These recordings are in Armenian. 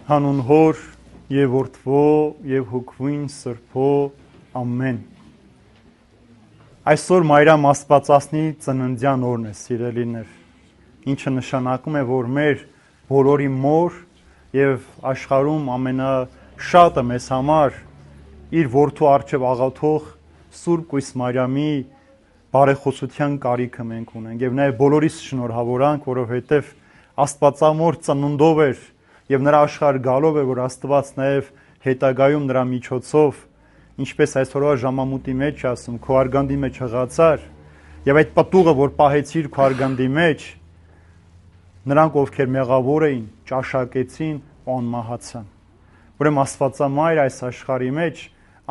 Հանուն Հոր եւ Որդվո եւ Հոգվին Սրբո ամեն։ Այսօր Մայրամ Աստվածածնի ծննդյան օրն է, սիրելիներ, ինչը նշանակում է, որ մեր բոլորի մոր եւ աշխարհում ամենաշատը մեզ համար իր որդու առջև աղոթող Սուրբ Կույս Մարիամի բարեխոսության կարիքը մենք ունենք եւ նաեւ բոլորիս շնորհավորանք, որովհետեւ Աստվածամոր ծնունդով էր եւ նրա աշխարհ գալով է, որ Աստված նաեւ հետագայում նրա միջոցով, ինչպես այսօրվա ժամամուտի մեջ ասում, քո արգանդի մեջ հղացար եւ այդ պտուղը, որ պահեցիր քո արգանդի մեջ, նրանք ովքեր մեղավոր էին, ճաշակեցին ու անմահացան։ Ուրեմն Աստվածամայր այս աշխարհի մեջ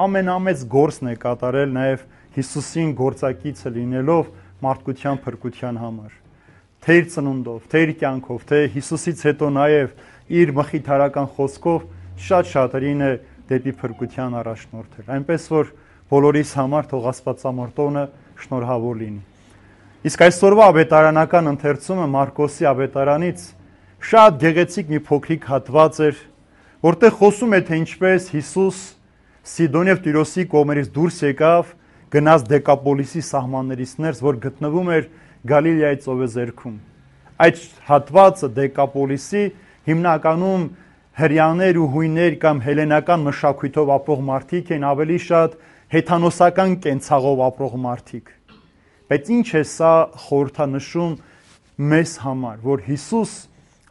ամենամեծ գործն է կատարել նաեւ Հիսուսին գործակիցը լինելով մարդկության փրկության համար։ Թե իր ծնունդով, թե իր կյանքով, թե Հիսուսից հետո նաեւ իր մխիթարական խոսքով շատ-շատերին է դեպի փրկության առաջնորդել։ Այնպես որ բոլորիս համար թող Աստվածամոր տոնը շնորհավոր լինի։ Իսկ այսօրվա ավետարանական ընթերցումը Մարկոսի ավետարանից շատ գեղեցիկ մի փոքրիկ հատված էր, որտեղ խոսում է, թե ինչպես Հիսուս Սիդոն եւ Տիրոսի կողմերից դուրս եկավ, գնաց Դեկապոլիսի սահմաններից ներս, որ գտնվում էր Գալիլեայի ծովեզերքում։ Այդ հատվածը Դեկապոլիսի հիմնականում հրեաներ ու հույներ կամ հելենական մշակույթով ապրող մարդիկ են, ավելի շատ հեթանոսական կենցաղով ապրող մարդիկ։ Բայց ինչ է սա խորհրդանշում մեզ համար, որ Հիսուս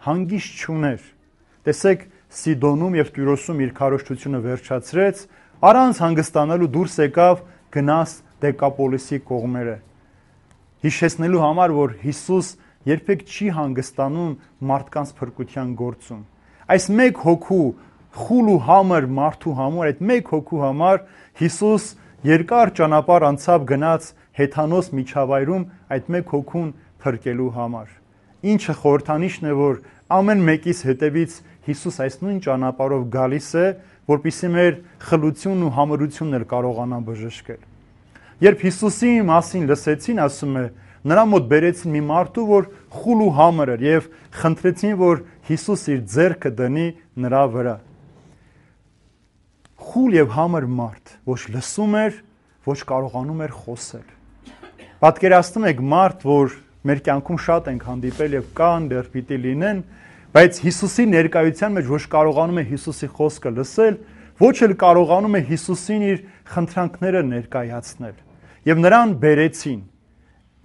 հանգիստ չուներ։ Տեսեք, Սիդոնում եւ Տիրոսում իր քարոզչությունը վերջացրեց, առանց հանգստանալու դուրս եկավ, գնաց Դեկապոլիսի կողմերը։ Հիշեցնելու համար, որ Հիսուս երբեք չի հանգստանում մարդկանց փրկության գործում։ Այս մեկ հոգու խուլ ու համր մարդու համար, այդ մեկ հոգու համար Հիսուս երկար ճանապարհ անցավ, գնաց հեթանոս միջավայրում այդ մեկ հոգուն փրկելու համար։ Ինչը խորհրդանիշն է, որ ամեն մեկից հետևից Հիսուս այս նույն ճանապարհով գալիս է, որպեսզի մեր խլությունն ու համրությունն էլ կարողանա բժշկել։ Երբ Հիսուսի մասին լսեցին, ասում է, նրա մոտ բերեցին մի մարդու, որ խուլ ու համր էր եւ խնդրեցին, որ Հիսուս իր ձեռքը դնի նրա վրա։ Խուլ եւ համր մարդ, ոչ լսում էր, ոչ կարողանում էր խոսել։ Պատկերացնում եք մարդ, որ մեր կյանքում շատ ենք հանդիպել եւ կան դեռ պիտի լինեն, բայց Հիսուսի ներկայության մեջ ոչ կարողանում է Հիսուսի խոսքը լսել, ոչ էլ կարողանում է Հիսուսին իր խնդրանքները ներկայացնել։ Եվ նրան բերեցին։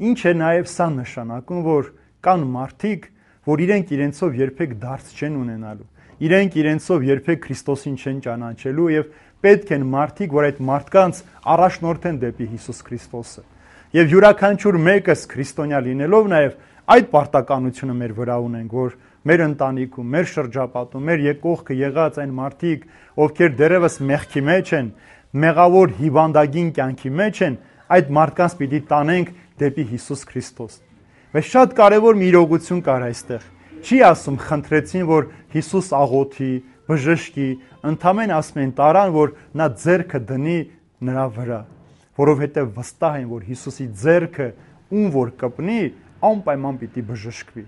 Ինչ է նաև սա նշանակում, որ կան մարդիկ, որ իրենք իրենցով երբեք դարձ չեն ունենալու, իրենք իրենցով երբեք Քրիստոսին չեն ճանաչելու եւ պետք են մարդիկ, որ այդ մարդկանց առաջնորդեն դեպի Հիսուս Քրիստոսը։ Եվ յուրաքանչյուր մեկս քրիստոնյա լինելով նաև այդ պարտականությունը մեր վրա ունենք, որ մեր ընտանիքում, մեր շրջապատում, մեր եկողքը եղած այն մարդիկ, ովքեր դեռևս մեղքի մեջ են, մեղավոր հիվանդագին կյանքի մեջ են, այդ մարդկանց պիտի տանենք դեպի Հիսուս Քրիստոս։ Բայց շատ կարևոր մի իրողություն կար այստեղ։ Չի ասում խնդրեցին, որ Հիսուս աղոթի, բժշկի, ընդամենը ասում են տարան, որ նա ձեռքը դնի նրա վրա, որովհետև վստահ են, որ Հիսուսի ձեռքը ում որ կպնի, անպայման պիտի բժշկվի։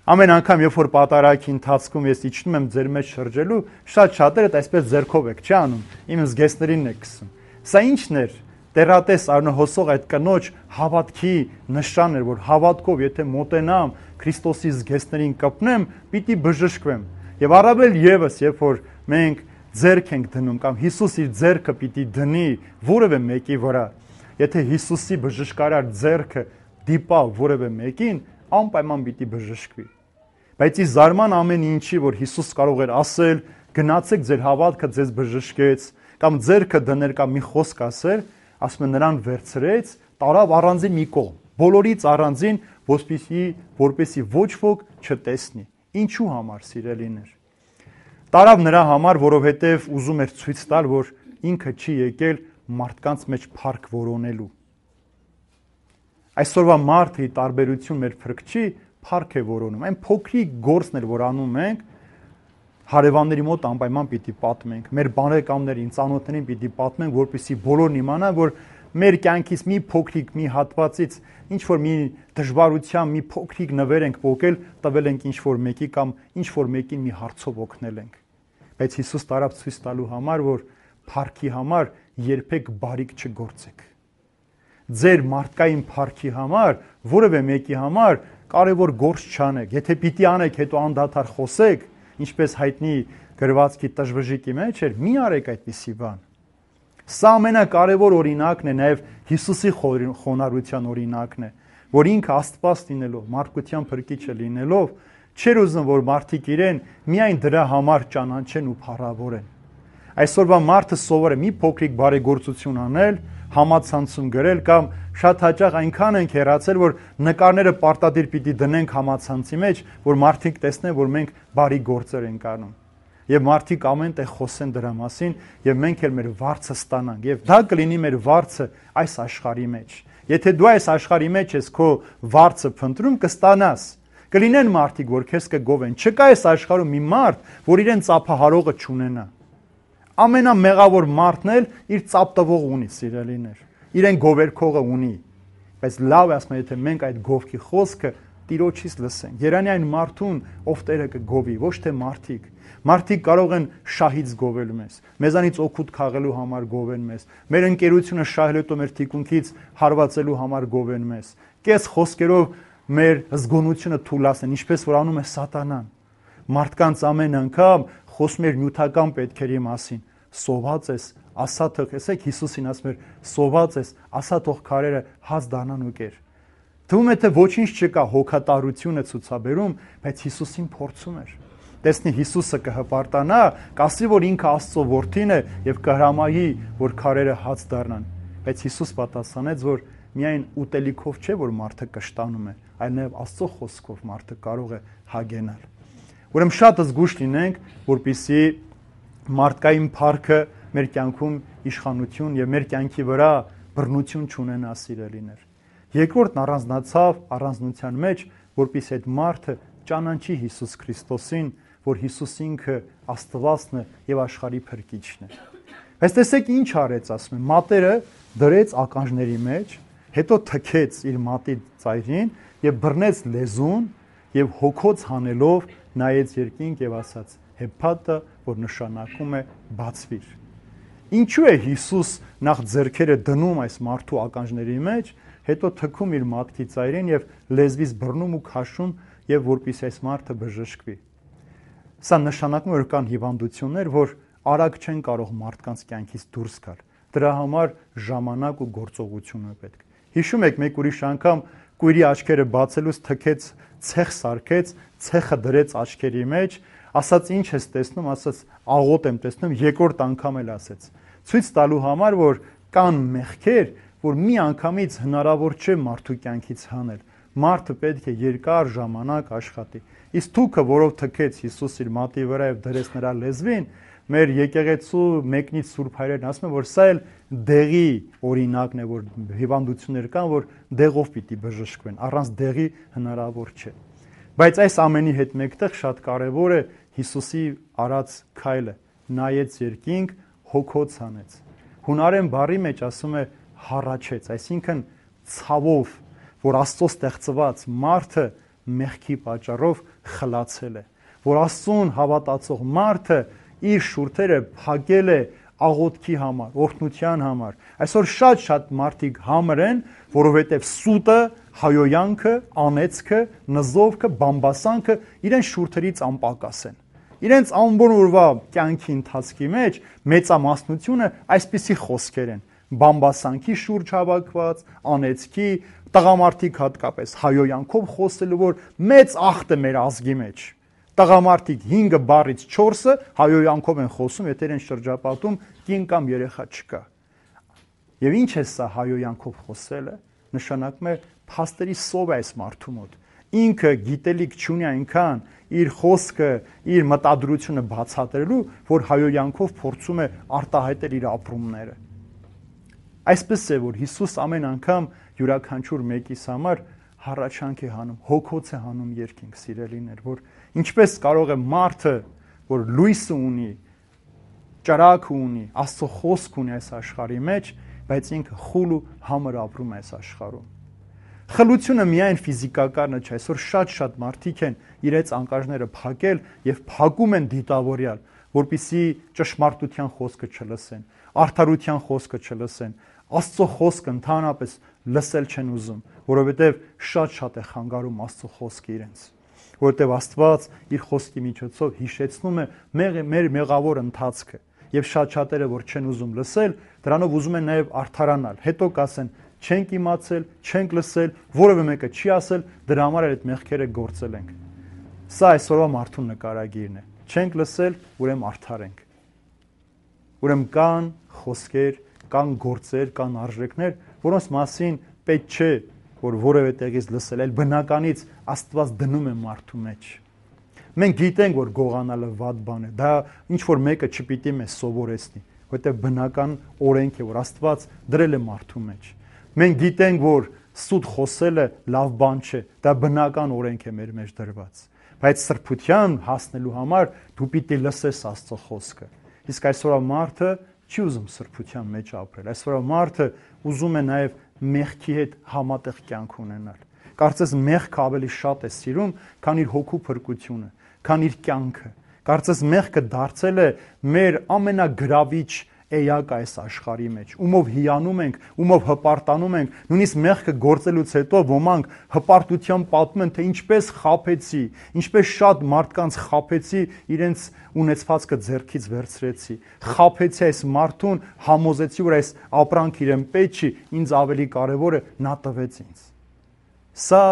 Ամեն անգամ, երբ որ պատարագի ընթացքում ես իջնում եմ ձեր մեջ շրջելու, շատ-շատերը այսպես ձեռքով եք, չի անում, իմ զգեստերին եք քսում։ Սա ի՞նչն էր։ Տերատես արնհոսող այդ կնոջ հավատքի նշան էր, որ հավատքով եթե մոտենամ Քրիստոսի զգեստներին կպնեմ, պիտի բժշկվեմ։ Եվ առավել եւս, երբ որ մենք ձեռք ենք դնում կամ Հիսուս իր ձեռքը պիտի դնի որևէ մեկի վրա, եթե Հիսուսի բժշկարար ձեռքը դիպա որևէ մեկին, անպայման պիտի բժշկվի։ Բայց ի զարման ամեն ինչի, որ Հիսուս կարող էր ասել, գնացեք ձեր հավատքը ձեզ բժշկեց, կամ ձեռքը դնել կամ մի խոսք ասել, ասում է նրան վերցրեց, տարավ առանձին մի կողմ, բոլորից առանձին, որպեսզի ոչ ոք չտեսնի։ Ինչու համար, սիրելիներ։ Տարավ նրա համար, որովհետև ուզում էր ցույց տալ, որ ինքը չի եկել մարդկանց մեջ փառք որոնելու։ Այսօրվա մարդը ի տարբերություն մեր Փրկչի փառք է որոնում։ Այն փոքրիկ գործն էլ որ անում ենք, հարևանների մոտ անպայման պիտի պատմենք, մեր բարեկամներին, ծանոթներին պիտի պատմենք, որպեսզի բոլորն իմանան, որ մեր կյանքից մի փոքրիկ մի հատվածից ինչ որ մի դժվարության մի փոքրիկ նվեր ենք ողել, տվել ենք ինչ որ մեկի կամ ինչ որ մեկին մի հարցով օգնել ենք։ Բայց Հիսուս տարավ ցույց տալու համար, որ փառքի համար երբեք բարիք չգործեք։ Ձեր մարդկային փառքի համար, որևէ մեկի համար կարևոր գործ չանեք։ Եթե պիտի անեք, հետո անդադար խոսեք, ինչպես հայտնի գրվածքի տժվժիկի մեջ էր, մի արեք այդպիսի բան։ Սա ամենակարևոր օրինակն է, նաև Հիսուսի խոնարհության օրինակն է, որ ինքը Աստված լինելով, մարդկության փրկիչը լինելով, չէր ուզում, որ մարդիկ իրեն միայն դրա համար ճանաչեն ու փառավորեն։ Այսօրվա մարդը սովոր է մի փոքրիկ բարեգործություն անել, համացանցում գրել կամ շատ հաճախ այնքան ենք հեռացել, որ նկարները պարտադիր պիտի դնենք համացանցի մեջ, որ մարդիկ տեսնեն, որ մենք բարի գործեր ենք անում։ Եվ մարդիկ ամեն տեղ խոսեն դրա մասին, եւ մենք էլ մեր վարձը ստանանք։ Եվ դա կլինի մեր վարձը այս աշխարհի մեջ։ Եթե դու այս աշխարհի մեջ ես քո վարձը փնտրում, կստանաս։ Կլինեն մարդիկ, որ քեզ կգովեն։ Չկա այս աշխարհում մի մարդ, որ իրեն ծափահարողը չունենա։ Ամենամեղավոր մարդն էլ իր ծափտվող ունի, սիրելիներ։ Իրեն գովերքողը ունի։ Բայց լավ է ասում, եթե մենք այդ գովքի խոսքը Տիրոջից լսենք։ Երանի այն մարդուն, ով Տերը կգովի, ոչ թե մարդիկ։ Մարդիկ կարող են շահից գովել մեզ, մեզանից օգուտ քաղելու համար գովեն մեզ, մեր ընկերությունը շահել հետո մեր թիկունքից հարվածելու համար գովեն մեզ, կես խոսքերով մեր զգոնությունը թուլացնեն, ինչպես որ անում է սատանան։ Մարդկանց ամեն անգամ խոսում էր նյութական պետքերի մասին, սոված ես, ասա թող, տեսեք Հիսուսին ասում էր, սոված ես, ասա թող քարերը հաց դառնան ու կեր։ Թվում է թե ոչինչ չկա, հոգատարությունը ցուցաբերում, բայց Հիսուսին փորձում էր։ Տեսնի Հիսուսը կհպարտանա, կասի, որ ինքը Աստծո որդին է եւ կհրամայի, որ քարերը հաց դառնան։ Բայց Հիսուս պատասխանեց, որ միայն ուտելիքով չէ, որ մարդը կշտանում է, այլ նաեւ Աստծո խոսքով մարդը կարող է հագենալ։ Ուրեմն շատ զգուշ լինենք, որպեսզի մարդկային փառքը մեր կյանքում իշխանություն եւ մեր կյանքի վրա բռնություն չունենա, սիրելիներ։ Երկրորդն առանձնացավ առանձնության մեջ, որպեսզի այդ մարդը ճանաչի Հիսուս Քրիստոսին, որ Հիսուս ինքը Աստվածն է եւ աշխարհի փրկիչն է։ Բայց տեսեք ինչ արեց, ասում է, մատերը դրեց ականջների մեջ, հետո թքեց իր մատի ծայրին եւ բռնեց լեզուն եւ հոգոց հանելով նայեց երկինք եւ ասաց. Հեփաթա, որ նշանակում է բացվիր։ Ինչու է Հիսուս նախ ձեռքերը դնում այս մարդու ականջների մեջ, հետո թքում իր մատքի ծայրին եւ լեզվից բռնում ու քաշում եւ որպեսզի այս մարդը բժշկվի։ Սա նշանակում է, որ կան հիվանդություններ, որ արագ չեն կարող մարդկանց կյանքից դուրս գալ։ Դրա համար ժամանակ ու գործողություն է պետք։ Հիշում եք, մեկ ուրիշ անգամ կույրի աչքերը բացելուց թքեց, ցեխ սարքեց, ցեխը դրեց աչքերի մեջ, ասաց ինչ ես տեսնում, ասաց աղոտ եմ տեսնում, երկրորդ անգամ էլ ասեց։ Ցույց տալու համար, որ կան մեղքեր, որ մի անգամից հնարավոր չէ մարդու կյանքից հանել։ Մարդը պետք է երկար ժամանակ աշխատի։ Իսկ թուքը, որով թքեց Հիսուս իր մատի վրա եւ դրեց նրա լեզվին, մեր եկեղեցու մեկնից Սուրբ Հայրերն ասում են, որ սա էլ դեղի օրինակն է, որ հիվանդություններ կան, որ դեղով պիտի բժշկվեն, առանց դեղի հնարավոր չէ։ Բայց այս ամենի հետ մեկտեղ շատ կարևոր է Հիսուսի արած քայլը, նայեց երկինք, հոգոց հանեց։ Հունարեն բառի մեջ ասում է հառաչեց, այսինքն ցավով, որ Աստծո ստեղծված մարդը մեղքի պատճառով խլացել է, որ Աստծուն հավատացող մարդը իր շուրթերը փակել է աղոթքի համար, օրհնության համար։ Այսօր շատ մարդիկ համր են, որովհետև սուտը, հայոյանքը, անեծքը, նզովքը, բամբասանքը իրեն շուրթերից անպակաս են։ Իրենց ամբողջ օրվա կյանքի ընթացքի մեջ մեծամասնությունը այսպիսի խոսքեր են. բամբասանքի շուրջ հավաքված, անեծքի, տղամարդիկ հատկապես հայոյանքով խոսելու, որ մեծ ախտ է մեր ազգի մեջ։ Տղամարդիկ 5 բառից 4-ը հայոյանքով են խոսում, եթե իրեն շրջապատում կին կամ երեխա չկա։ Եվ ինչ է սա հայոյանքով խոսելը, նշանակում է փաստերի սով է այս մարդու մոտ։ Ինքը գիտելիք չունի այնքան իր խոսքը, իր մտադրությունը բացատրելու, որ հայոյանքով փորձում է արտահայտել իր ապրումները։ Այսպես է, որ Հիսուս ամեն անգամ յուրաքանչյուր մեկիս համար հառաչանք է հանում, հոգոց է հանում երկինք, սիրելիներ, որ ինչպես կարող է մարդը, որ լույսը ունի, ճրագ ունի, Աստծո խոսք ունի այս աշխարհի մեջ, բայց ինքը խուլ ու համր ապրում է այս աշխարհում։ Խլությունը միայն ֆիզիկականը չէ, այսօր շատ մարդիկ են իրենց անկաժները փակել եւ փակում են դիտավորյալ, որպիսի ճշմարտության խոսքը չլսեն, արդարության խոսքը չլսեն, Աստծո խոսքը ընդհանրապես լսել չեն ուզում, որովհետեւ շատ է խանգարում Աստծո խոսքը իրենց, որովհետեւ Աստված իր խոսքի միջոցով հիշեցնում է մեր մեղավոր ընթացքը եւ շատերը որ չեն ուզում լսել, դրանով ուզում են նաեւ արդարանալ, հետո կասեն չենք իմացել, չենք լսել, որևէ մեկը չի ասել, դրա համար այդ մեղքերը գործել ենք։ Սա այսօրվա մարդու նկարագիրն է։ Չենք լսել, ուրեմն արդար ենք։ Ուրեմն կան խոսքեր, կան գործեր, կան արժեքներ, որոնց մասին պետք չէ, որ որևէ տեղից լսել, այլ բնականից Աստված դնում է մարդու մեջ։ Մենք գիտենք, որ գողանալը վատ բան է, դա ինչ որ մեկը չպիտի մեզ սովորեցնի, որովհետև բնական օրենք է, որ Աստված դրել է մարդու մեջ։ Մենք գիտենք, որ սուտ խոսելը լավ բան չէ, դա բնական օրենք է մեր մեջ դրված։ Բայց սրբության հասնելու համար դու պիտի լսես Աստծո խոսքը։ Իսկ այսօրվա մարդը չի ուզում սրբության մեջ ապրել։ Այսօրվա մարդը ուզում է նաև մեղքի հետ համատեղ կյանք ունենալ։ Կարծես մեղքը ավելի շատ է սիրում, քան իր հոգու փրկությունը, քան իր կյանքը։ Կարծես մեղքը դարձել է մեր ամենագրավիչ էակը այս աշխարհի մեջ, ումով հիանում ենք, ումով հպարտանում ենք, նույնիսկ մեղքը գործելուց հետո ոմանք հպարտությամբ պատմում են, թե ինչպես խաբեցի, ինչպես շատ մարդկանց խաբեցի, իրենց ունեցվածքը ձեռքից վերցրեցի, խաբեցի այս մարդուն, համոզեցի, որ այս ապրանքը իրեն պետք չի, ինձ ավելի կարևորը նա տվեց ինձ։ Սա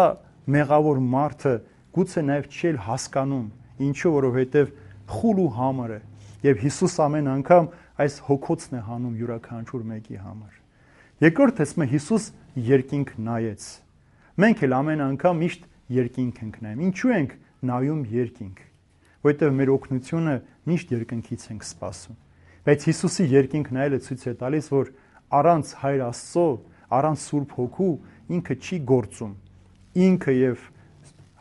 մեղավոր մարդը գուցե նաև չի հասկանում, ինչու, որովհետև խուլ ու համր է, եւ Հիսուս ամեն անգամ այս հոգոցն է հանում յուրաքանչյուր մեկի համար։ Երկրորդ տեսնում է Հիսուս երկինք նայեց։ Մենք էլ ամեն անգամ միշտ երկինք ենք նայում։ Ինչու ենք նայում երկինք։ Որովհետև մեր օգնությունը միշտ երկնքից ենք սպասում։ Բայց Հիսուսի երկինք նայելը ցույց է տալիս, որ առանց Հայր Աստծո, առանց Սուրբ Հոգու ինքը չի գործում։ Ինքը եւ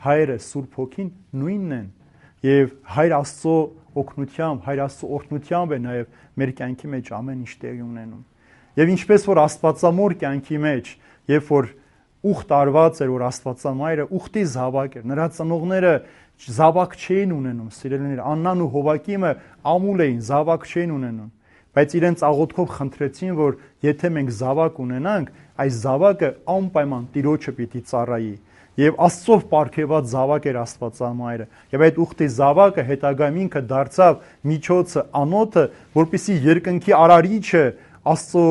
Հայրը Սուրբ Հոգին նույնն են։ Եվ Հայր Աստծո օգնությամբ, Հայր Աստծո օրհնությամբ է նաև մեր կյանքի մեջ ամեն ինչ տեղի ունենում։ Եվ ինչպես որ Աստվածամոր կյանքի մեջ, երբ որ ուխտ արված էր, որ Աստվածամայրը ուխտի զավակ էր, նրա ծնողները զավակ չէին ունենում, սիրելիներ, Աննան ու Հովակիմը ամուլ էին, զավակ չէին ունենում, բայց իրենց աղոթքով խնդրեցին, որ եթե մենք զավակ ունենանք, այս զավակը անպայման Տիրոջը պիտի ծառայի։ Եվ Աստծով պարգևած զավակ էր Աստվածամայրը։ Եվ այդ ուխտի զավակը հետագայում ինքը դարձավ միջոցը, անոթը, որպեսզի երկնքի արարիչը Աստծո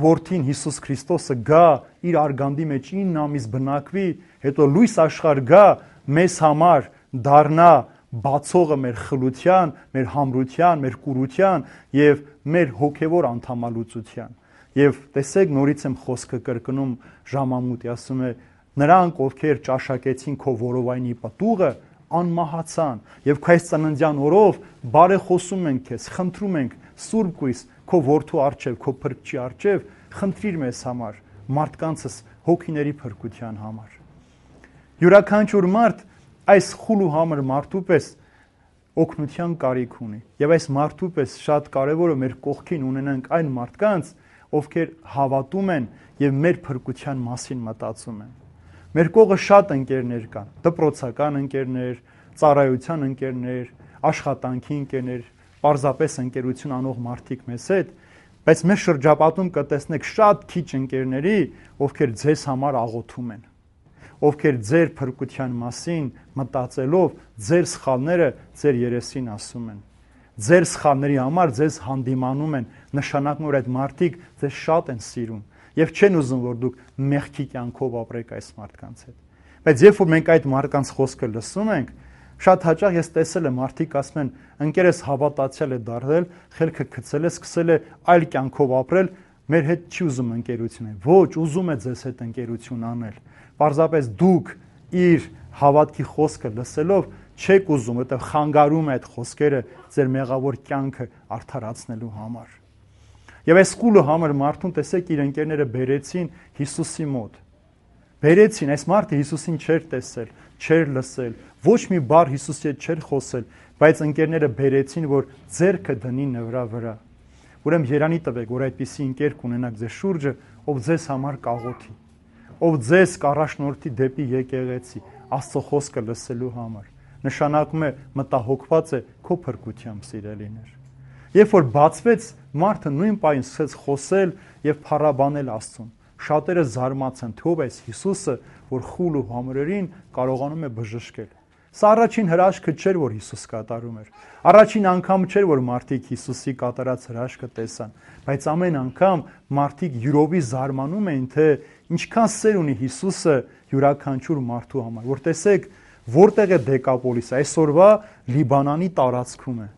որդին Հիսուս Քրիստոսը գա իր արգանդի մեջ 9 ամիս բնակվի, հետո լույս աշխարհ գա մեզ համար դառնա բացողը մեր խլության, մեր համրության, մեր կուրության եւ մեր հոգեվոր անդամալուծության։ Եվ տեսեք նորից եմ խոսքը կրկնում ժամամուտի, ասում է նրանք, ովքեր ճաշակեցին քո որովայնի պտուղը, անմահացան, եւ քո այս ծննդյան օրով բարեխոսում ենք քեզ, խնդրում ենք Սուրբ Գույս, քո որդու արչեւ, քո փրկչի արչեւ, խնդրիր մեզ համար, մարդկանցս հոգիների փրկության համար։ Յուրաքանչյուր մարդ այս խուլ ու համր մարդու պես օգնության կարիք ունի, եւ այս մարդու պես շատ կարեւոր է մեր կողքին ունենանք այն մարդկանց, ովքեր հավատում են եւ մեր փրկության մասին մտածում են։ Մեր կողը շատ ընկերներ կան, դպրոցական ընկերներ, ծառայության ընկերներ, աշխատանքի ընկերներ, պարզապես ընկերություն անող մարդիկ մեզ հետ, բայց մեր շրջապատում կտեսնեք շատ քիչ ընկերների, ովքեր ձեզ համար աղոթում են, ովքեր ձեր փրկության մասին մտածելով ձեր սխալները ձեր երեսին ասում են, ձեր սխալների համար ձեզ հանդիմանում են, նշանակում որ այդ մարդիկ ձեզ շատ են սիրում եւ չեն ուզում որ դուք մեղքի կյանքով ապրեք այս մարդկանց հետ։ Բայց երբ որ մենք այդ մարդկանց խոսքը լսում ենք, շատ հաճախ ես տեսել եմ մարդիկ ասում են ընկերս հավատացյալ է դարձել, խելքը գցել է, սկսել է այլ կյանքով ապրել, մեր հետ չի ուզում ընկերություն անել։ Ոչ, ուզում է ձեզ հետ ընկերություն անել։ Պարզապես դուք իր հավատքի խոսքը լսելով չեք ուզում, որտեղ խանգարում է այդ խոսքերը ձեր մեղավոր կյանքը արդարացնելու համար։ Եվ այս խուլը համր մարդուն տեսեք իր ընկերները բերեցին Հիսուսի մոտ։ Բերեցին, այս մարդը Հիսուսին չէր տեսել, չէր լսել, ոչ մի բառ Հիսուսի հետ չէր խոսել, բայց ընկերները բերեցին, որ ձեռքը դնի նրա վրա, Ուրեմն երանի տվեք, որ այդպիսի ընկեր կունենաք ձեզ շուրջը, ով ձեզ համար կաղոթի, ով ձեզ կառաջնորդի դեպի եկեղեցի, Աստծո խոսքը լսելու համար։ Նշանակում է մտահոգված է քո փրկությամբ, սիրելիներ։ Երբ որ բացվեց, մարդը նույն պահին սկսեց խոսել եւ փառաբանել Աստծուն։ Շատերը զարմացան, թե ով է Հիսուսը, որ խուլ ու համրերին կարողանում է բժշկել։ Սա առաջին հրաշքը չէր, որ Հիսուս կատարում էր։ Առաջին անգամ չէր, որ մարդիկ Հիսուսի կատարած հրաշքը տեսան, բայց ամեն անգամ մարդիկ յուրովի զարմանում էին, թե ինչքան սեր ունի Հիսուսը յուրաքանչյուր մարդու համար։ Որ տեսեք, որտեղ է Դեկապոլիսը, այսօրվա Լիբանանի տարածքում է։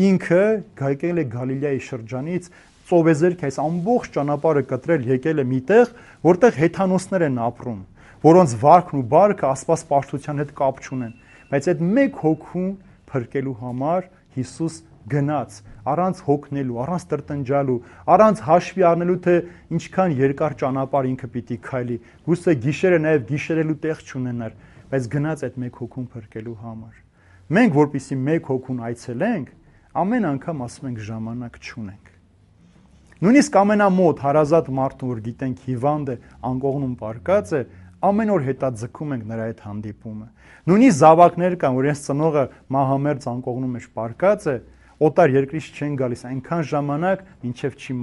Ինքը եկել է Գալիլեայի շրջանից, ծովեզերք այս ամբողջ ճանապարհը կտրել, եկել է միտեղ, որտեղ հեթանոսներ են ապրում, որոնց վարքն ու բարքը աստվածպաշտության հետ կապ չունեն, բայց այդ մեկ հոգուն փրկելու համար Հիսուս գնաց, առանց հոգնելու, առանց տրտնջալու, առանց հաշվի առնելու, թե ինչքան երկար ճանապարհ ինքը պիտի քայլի, գուցե գիշերը նաև գիշերելու տեղ չունենար, բայց գնաց այդ մեկ հոգուն փրկելու համար։ Մենք, որպեսզի մեկ հոգուն այցելենք, ամեն անգամ ասում ենք ժամանակ չունենք։ Նույնիսկ ամենամոտ հարազատ մարդուն, որ գիտենք հիվանդ է, անկողնում պարկած է, ամեն օր հետաձգում ենք նրա հետ հանդիպումը։ Նույնիսկ զավակներ կան, որ իրենց ծնողը մահամերձ անկողնում մեջ պարկած է, օտար երկրից չեն գալիս այնքան ժամանակ, մինչև չի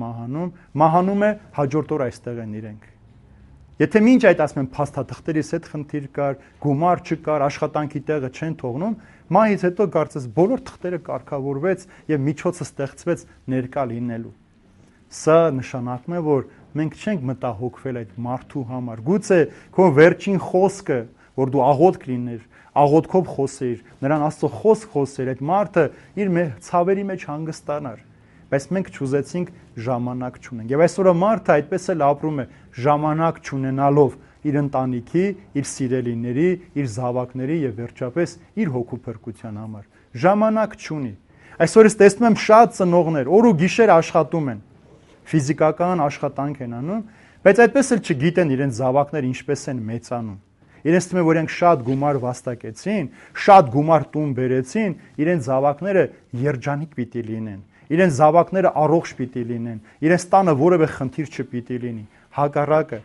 մահանում է, հաջորդ օր այստեղ են իրենք։ Եթե մինչ այդ ասում են փաստաթղթերից հետ խնդիր կար, գումար չկար, աշխատանքի տեղը չեն թողնում, մահից հետո կարծես բոլոր թղթերը կարգավորվեց եւ միջոցը ստեղծվեց ներկա լինելու։ Սա նշանակում է, որ մենք չենք մտահոգվել այդ մարդու համար։ Գուցե քո վերջին խոսքը, որ դու աղոթք լիներ, աղոթքով խոսեիր, նրան Աստծո խոսք խոսեր, այդ մարդը իր ցավերի մեջ հանգստանար, բայց մենք չուզեցինք ժամանակ չունենք։ Եվ այսօր մարդը այդպես էլ ապրում է, ժամանակ չունենալով իր ընտանիքի, իր սիրելիների, իր զավակների եւ վերջապես իր հոգու փրկության համար։ Ժամանակ չունի։ Այսօր ես տեսնում եմ շատ ծնողներ, օր ու գիշեր աշխատում են, ֆիզիկական աշխատանք են անում, բայց այդպես էլ չգիտեն իրենց զավակները ինչպես են մեծանում։ Իրենց թվում է, որ իրենք շատ գումար վաստակեցին, շատ գումար տուն բերեցին, իրենց զավակները երջանիկ պիտի լինեն, իրենց զավակները առողջ պիտի լինեն, իրենց տանը որևէ խնդիր չպիտի լինի։ Հակառակը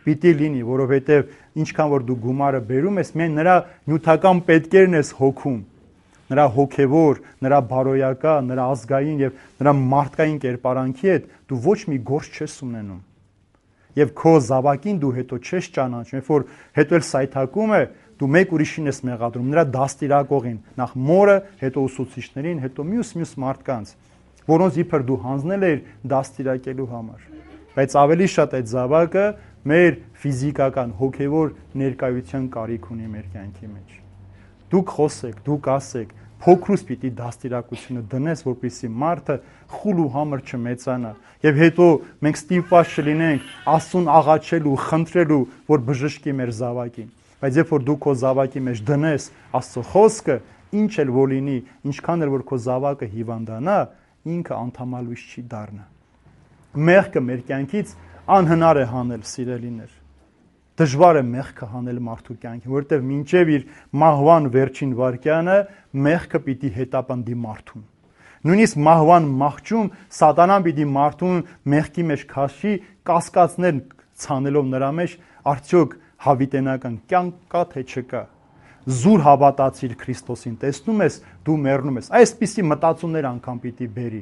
պիտի լինի, որովհետև ինչքան որ դու գումարը բերում ես, միայն նրա նյութական պետքերն ես հոգում, նրա հոգևոր, նրա բարոյական, նրա ազգային եւ նրա մարդկային կերպարանքի հետ դու ոչ մի գործ չես ունենում։ Եվ քո զավակին դու հետո չես ճանաչում, երբ որ հետո էլ սայթակում է, դու մեկ ուրիշին ես մեղադրում, նրա դաստիարակողին, նախ մորը, հետո ուսուցիչներին, հետո մյուս մարդկանց, որոնց իբր դու հանձնել ես դաստիարակելու համար։ Բայց ավելի շատ այդ զավակը մեր ֆիզիկական, հոգևոր ներկայության կարիք ունի մեր կյանքի մեջ։ Դուք խոսեք, դուք ասեք, փոքրուց պիտի դաստիարակությունը դնես, որպեսզի մարդը խուլ ու համր չմեծանա, եւ հետո մենք ստիպված չլինենք Աստծուն աղաչելու, խնդրելու, որ բժշկի մեր զավակին։ Բայց երբ որ դու քո զավակի մեջ դնես Աստծո խոսքը, ինչ էլ որ լինի, ինչքան էլ որ քո զավակը հիվանդանա, ինքը անդամալույս չի դառնա։ Մեղքը մեր կյանքից անհնար է հանել, սիրելիներ։ Դժվար է մեղքը հանել մարդու կյանքին, որովհետև մինչև իր մահվան վերջին վայրկյանը մեղքը պիտի հետապնդի մարդուն։ Նույնիսկ մահվան մահճում սատանան պիտի մարդուն մեղքի մեջ քաշի, կասկածներ ցանելով նրա մեջ, արդյոք հավիտենական կյանք կա թե չկա։ Զուր հավատացիր Քրիստոսին, տեսնում ես, դու մեռնում ես։ Այսպիսի մտածումներ անգամ պիտի բերի։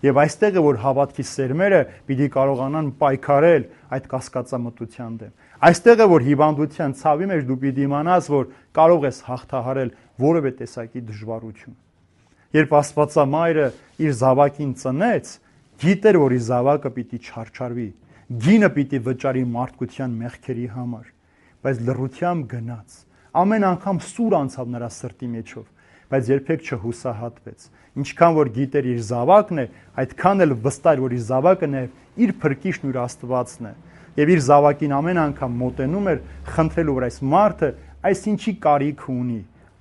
Եվ այստեղ է, որ հավատքի սերմերը պիտի կարողանան պայքարել այդ կասկածամտության դեմ։ Այստեղ է, որ հիվանդության ցավի մեջ դու պիտի իմանաս, որ կարող ես հաղթահարել որևէ տեսակի դժվարություն։ Երբ Աստվածամայրը իր զավակին ծնեց, գիտեր, որ իր զավակը պիտի չարչարվի, գինը պիտի վճարի մարդկության մեղքերի համար, բայց լռությամբ գնաց։ Ամեն անգամ սուր անցավ նրա սրտի մեջով, բայց երբեք չհուսահատվեց։ Ինչքան որ գիտեր իր զավակն է, այդքան էլ վստահ էր, որ իր զավակը նաև իր փրկիչն ու իր Աստվածն է։ Եվ իր զավակին ամեն անգամ մոտենում էր, խնդրելու, որ այս մարդը այսինչի կարիք ունի,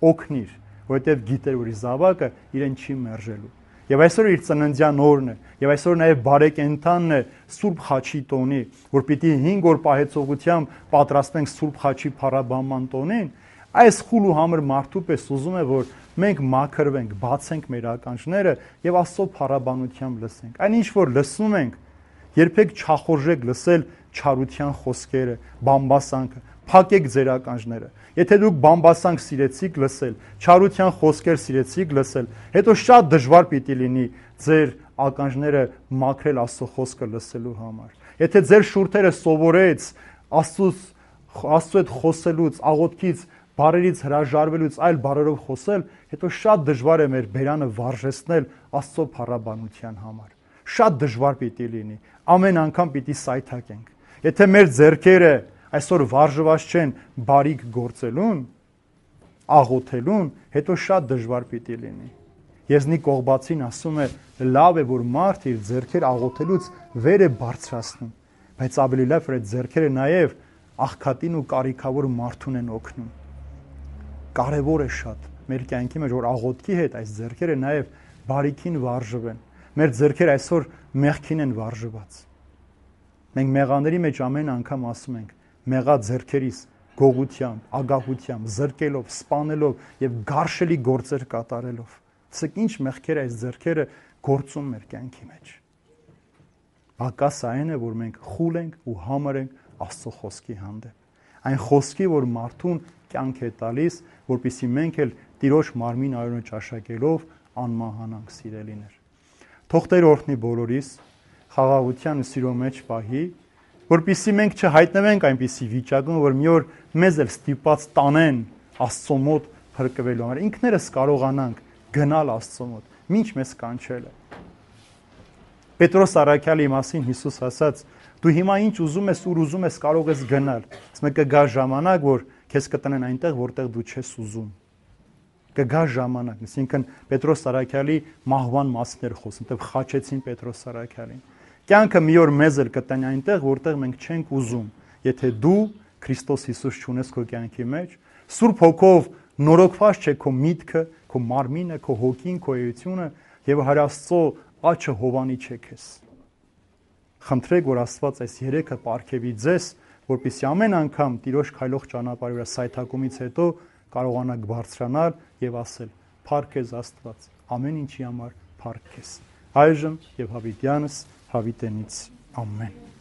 օգնիր, որովհետև գիտեր, որ իր զավակը իրեն չի մերժելու։ Եվ այսօր իր ծննդյան օրն է, եւ այսօր նաև բարեկենթանն է Սուրբ Խաչի տոնի, որ պիտի 5 օր պահեցողությամբ պատրաստենք Սուրբ Խաչի փառաբանման տոնին, Այս խուլ ու համր մարդու պես ուզում է, որ մենք մաքրվենք, բացենք մեր ականջները եւ Աստծո փառաբանությամբ լսենք։ Այն ինչ որ լսում ենք, երբեք չախորժեք լսել չարության խոսքերը, բամբասանքը։ Փակեք ձեր ականջները։ Եթե դուք բամբասանք սիրեցիք լսել, չարության խոսքեր սիրեցիք լսել, հետո շատ դժվար պիտի լինի ձեր ականջները մաքրել Աստծո խոսքը լսելու համար։ Եթե ձեր շուրթերը սովորեց Աստծո հետ խոսելուց, աղոթքից, բարերից հրաժարվելուց, այլ բարերով խոսել, հետո շատ դժվար է մեր բերանը վարժեցնել Աստծո փառաբանության համար։ Շատ դժվար պիտի լինի։ Ամեն անգամ պիտի սայթակենք։ Եթե մեր ձեռքերը այսօր վարժված չեն բարիք գործելուն, աղոթելուն, հետո շատ դժվար պիտի լինի։ Եզնի Կողբացին ասում է, լավ է, որ մարդ իր ձեռքեր աղոթելուց վեր է բարձրացնում, բայց ավելի լավ է այդ ձեռքերը նաև աղքատին ու կարիքավոր մարդուն են օգնում։ Կարևոր է շատ մեր կյանքի մեջ, որ աղոթքի հետ այս ձեռքերը նաև բարիքին վարժվեն։ Մեր ձեռքերը այսօր մեղքին են վարժված։ Մենք մեղաների մեջ ամեն անգամ ասում ենք, մեղա ձեռքերիս գողությամբ, ագահությամբ, զրկելով, սպանելով եւ գարշելի գործեր կատարելով։ Իսկ ինչ մեղքեր այս ձեռքերը գործում մեր կյանքի մեջ։ Բակաս այն է, որ մենք խուլ ենք ու համր ենք Աստծո խոսքի հանդեպ։ Այն խոսքի, որ մարդուն կյանք է տալիս, որպեսզի մենք էլ Տիրոջ մարմին արյունը ճաշակելով անմահանանք սիրելիներ։ Թող Տեր օրհնի բոլորիս, խաղաղության ու սիրո մեջ պահի, որպեսզի մենք չհայտնվենք այնպիսի վիճակում, որ մի օր մեզ էլ ստիպած տանեն Աստծո մոտ փրկվելու համար։ Ինքներս կարողանանք գնալ Աստծո մոտ, ինչ մեզ կանչել է։ Պետրոս առաքյալի մասին Հիսուս ասաց. դու հիմա ինչ ուզում ես, ուր ուզում ես, կարող ես գնալ, բայց կգա ժամանակ, որ քեզ կտնեն այնտեղ, որտեղ դու չես ուզում։ Կգա ժամանակ, այսինքն Պետրոս առաքյալի մահվան մասին էր խոսում, դեռ խաչեցին Պետրոս առաքյալին։ Կյանքը մի օր մեզ էլ կտնի այնտեղ, որտեղ մենք չենք ուզում, եթե դու Քրիստոս Հիսուս չունես քո կյանքի մեջ, Սուրբ Հոգով նորոգված չէ քո միտքը, քո մարմինը, քո հոգին, քո էությունը եւ Հրաստծո աչքը հովանի չէ քեզ։ Խնդրեք, որ Աստված այս երեքը պարգևի ձեզ, որպեսզի ամեն անգամ Տիրոջ քայլող ճանապարհի վրա սայթակումից հետո կարողանաք բարձրանալ եւ ասել. «Փառք քեզ Աստված, ամեն ինչի համար փառք քեզ»։ Այժմ եւ հավիտյանս հավիտենից ամեն։